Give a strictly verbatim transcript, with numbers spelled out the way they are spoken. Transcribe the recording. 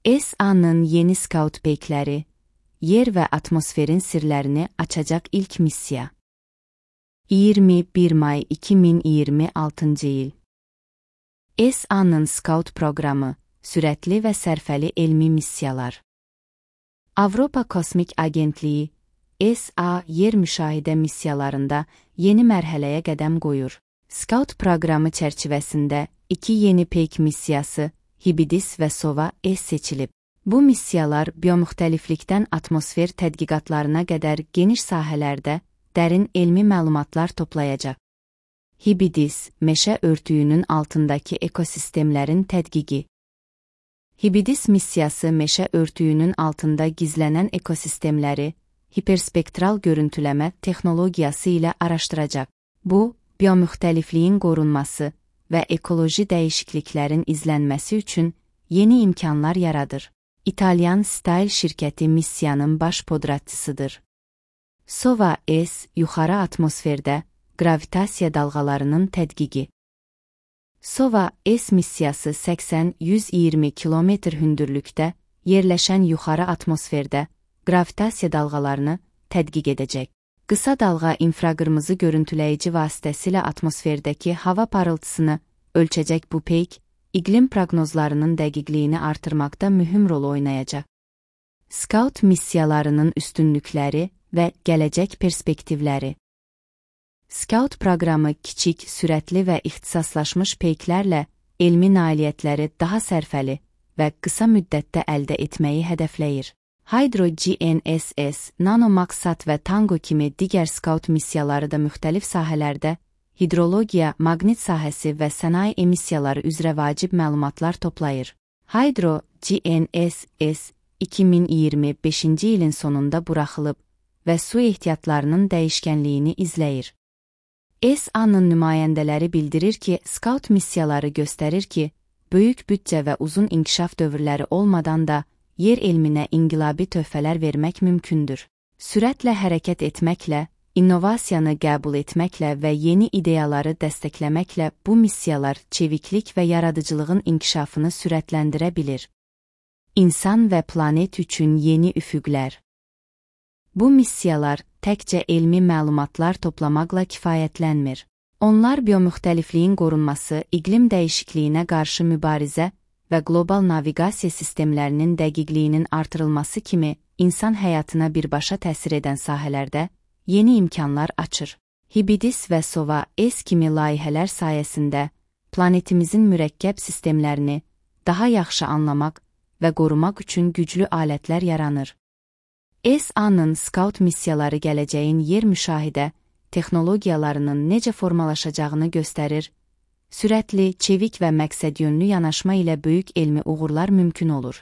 S A-nın yeni Scout peykləri, yer və atmosferin sirlərini açacaq ilk missiya. iyirmi bir may iki min iyirmi altıncı il. S A-nın Scout proqramı, sürətli və sərfəli elmi missiyalar. Avropa Kosmik Agentliyi, S A yer müşahidə missiyalarında yeni mərhələyə qədəm qoyur. Scout proqramı çərçivəsində iki yeni peyk missiyası, Hibidis və Sova S seçilib. Bu missiyalar biomüxtəliflikdən atmosfer tədqiqatlarına qədər geniş sahələrdə dərin elmi məlumatlar toplayacaq. Hibidis, meşə örtüyünün altındakı ekosistemlərin tədqiqi. Hibidis missiyası meşə örtüyünün altında gizlənən ekosistemləri hiperspektral görüntüləmə texnologiyası ilə araşdıracaq. Bu, biomüxtəlifliyin qorunması və ekoloji dəyişikliklərin izlənməsi üçün yeni imkanlar yaradır. İtalyan Style şirkəti missiyanın baş podratçısıdır. Sova S yuxarı atmosferdə qravitasiya dalğalarının tədqiqi. Sova S missiyası səksən yüz iyirmi kilometr hündürlükdə yerləşən yuxarı atmosferdə qravitasiya dalğalarını tədqiq edəcək. Qısa dalğa infraqırmızı görüntüləyici vasitəsilə atmosferdəki hava parıltısını ölçəcək bu peyk, iqlim proqnozlarının dəqiqliyini artırmaqda mühüm rol oynayacaq. Scout missiyalarının üstünlükləri və gələcək perspektivləri. Scout proqramı kiçik, sürətli və ixtisaslaşmış peyklərlə elmi nailiyyətləri daha sərfəli və qısa müddətdə əldə etməyi hədəfləyir. Hydro G N S S, Nanomaxsat və Tango kimi digər Scout missiyaları da müxtəlif sahələrdə hidrologiya, maqnit sahəsi və sənaye emissiyaları üzrə vacib məlumatlar toplayır. Hydro G N S S iki min iyirmi beşinci ilin sonunda buraxılıb və su ehtiyatlarının dəyişkənliyini izləyir. S A-nın nümayəndələri bildirir ki, Scout missiyaları göstərir ki, böyük büdcə və uzun inkişaf dövrləri olmadan da yer elminə inqilabi töhfələr vermək mümkündür. Sürətlə hərəkət etməklə, innovasiyanı qəbul etməklə və yeni ideyaları dəstəkləməklə bu missiyalar çeviklik və yaradıcılığın inkişafını sürətləndirə bilir. İnsan və planet üçün yeni üfüqlər. Bu missiyalar təkcə elmi məlumatlar toplamaqla kifayətlənmir. Onlar biomüxtəlifliyin qorunması, iqlim dəyişikliyinə qarşı mübarizə və qlobal naviqasiya sistemlərinin dəqiqliyinin artırılması kimi insan həyatına birbaşa təsir edən sahələrdə yeni imkanlar açır. Hibidis və Sova S kimi layihələr sayəsində planetimizin mürəkkəb sistemlərini daha yaxşı anlamaq və qorumaq üçün güclü alətlər yaranır. S A-nın Scout missiyaları gələcəyin yer müşahidə texnologiyalarının necə formalaşacağını göstərir. Sürətli, çevik və məqsədyönlü yanaşma ilə böyük elmi uğurlar mümkün olur.